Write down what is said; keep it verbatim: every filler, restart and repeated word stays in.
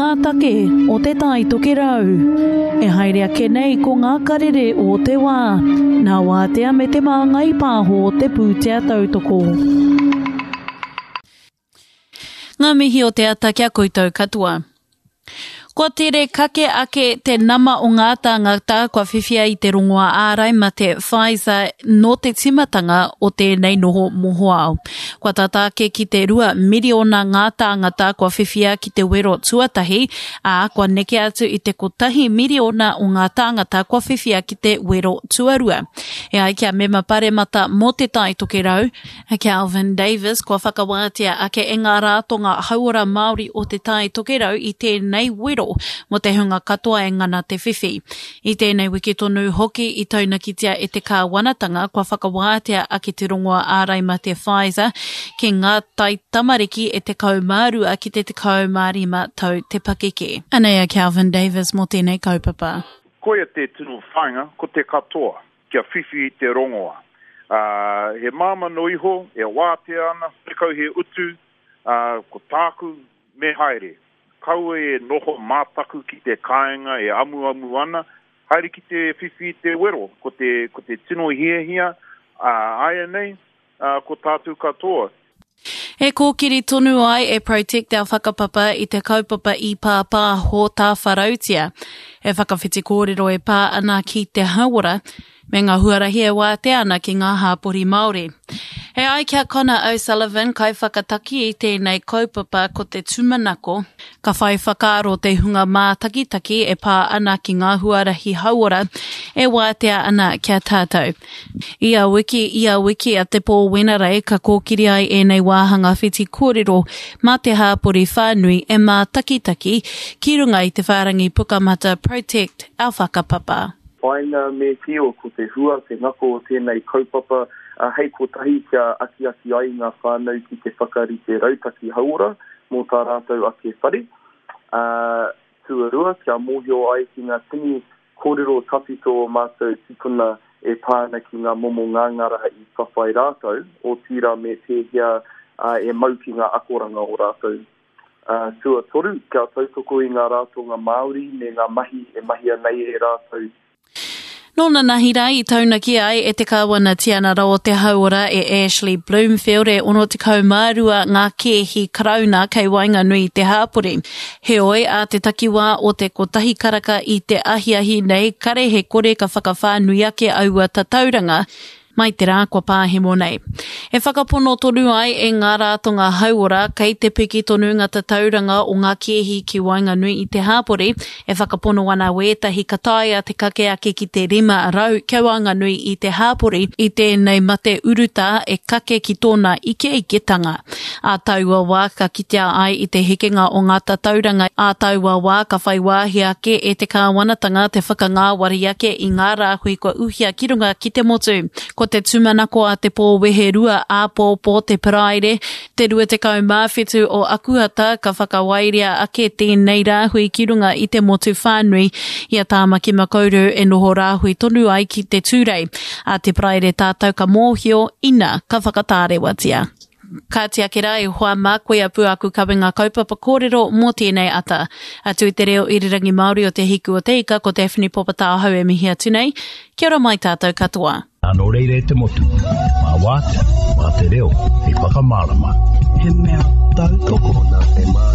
ngā take o Te Tai Tokerau. E haere ake nei ko ngā karere o te wā, nā Wātea me Te Māngai Pāho te pūtea tautoko. Ngā mihi o te ata ki a koutou katoa. Kua tere kake ake te nama o ngā tāngata kua whiwhia i te rongoā ārai mate Pfizer nō te tīmatanga o tēnei noho mohoao. Kua tata ake ki te rua miriona ngā tāngata kua whiwhia ki te wero tuatahi, ā, kua neke atu i te kotahi miriona o ngā tāngata kua whiwhia ki te wero tuarua. E ai ki a Mema Paremata mō Te Tai Tokerau, a Kelvin Davis, kua whakawātea ake e ngā rātonga hauora Māori o Te Tai Tokerau i tēnei wero mō te hunga katoa e ngana te whiwhi. I tēnei wiki tonu hoki i taunakitia e te kāwanatanga kua whakawātea ake te rongoā ārai mate Pfizer ki ngā taitamariki e tekau mā rua ki te tekau mā rima tau te pakeke. Anei a Kelvin Davis mō tēnei kaupapa. Koia te tino whāinga, ko te katoa, kia whiwhi i te rongoā. Uh, he māmā no iho, e wātea ana, horekau he utu, uh, ko tāku, me haere. Kaua e noho mātaku ki te kāinga e amuamu ana, haere ki te whiwhi i te wero, ko te, ko te tino hiahia, uh, āianei, uh, ko tātou katoa. E kōkiri tonu ai e Protect Our Whakapapa i te kaupapa i pāpāho tāwharautia, e whakawhiti kōrero e pā ana ki te hauora, me ngā huarahi e wātea ana ki ngā hāpori Māori. E ai ki a Connor O'Sullivan, kaiwhakataki i tēnei kaupapa ko te tūmanako, ka whai whakaaro te hunga mātakitaki e pā ana ki ngā huarahi hauora e wātea ana ki a tātou. Ia wiki, ia wiki a te pō Wenerei ka kōkiri ai ēnei wāhanga whiti kōrero mā te hāpori whānui e mātakitaki ki runga i te whārangi pukamata Protect Our Whakapapa. Whāinga me tio ko te hua, te ngako o tēnei kaupapa, hei kotahi kia akiaki ai ngā whānau ki te whakarite rautaki hauora mō tā rātou ake whare. Uh, tuarua, kia mōhio ai ki ngā tini kōrero tawhito o mātou tipuna e pā ana ki ngā momo ngāngara i whawhai rātou, otirā me pēhea uh, e mau ki ngā akoranga o rātou. Uh, tuatoru, kia tautoko i ngā rātonga Māori me ngā mahi e mahia nei e rātou. Nō nanahi rā i taunaki ai e te Kāwana Tianara o te Hauora e Ashley Bloomfield e ono tekau mā rua ngā kēhi Karauna kei waenganui i te hāpori. Heoi, a te takiwā o te kotahi karaka i te ahiahi nei, kare he kore ka whakawhānui ake aua tatauranga mai te rā kua pāhemo nei. E whakapono tonu ai e ngā rātonga hauora kei te piki tonu ngā tatauranga o ngā kēhi ki waenganui i te hāpori, e whakapono ana wētahi ka taea te kake ake ki te rima rau kia waenganui i te hāpori i tēnei mate urutā e kake ki tōna ikeiketanga. Ā taua wā ka kitea ai i te hekenga o ngā tatauranga, ā taua wā ka whai wāhi ake e te kāwanatanga te whakangāwari ake i ngā rāhui kua uhia ki runga ki te motu. Ko te tūmanako a te pō weherua āpōpō te Paraire, te rua tekau mā whitu o Akuhata ka whakawairia ake tēnei rāhui ki runga i te motu whānui i a Tāmaki Makaurau e noho rāhui tonu ai ki te Tūrei. A te Paraire tātou ka mōhio ina ka whakatārewatia. Ka tiaki rā e hoa mā koe a Pūaku kawenga kaupapa kōrero mō tēnei ata. Atu i te reo irirangi Māori o Te Hiku o Te Ika, ko Daphne Popatāhau e mihi atu nei. Kia ora mai tātou katoa. Nō reira e te motu, mā wātea, mā te reo, hei whakamārama. He mea tautoko. Nā te mā.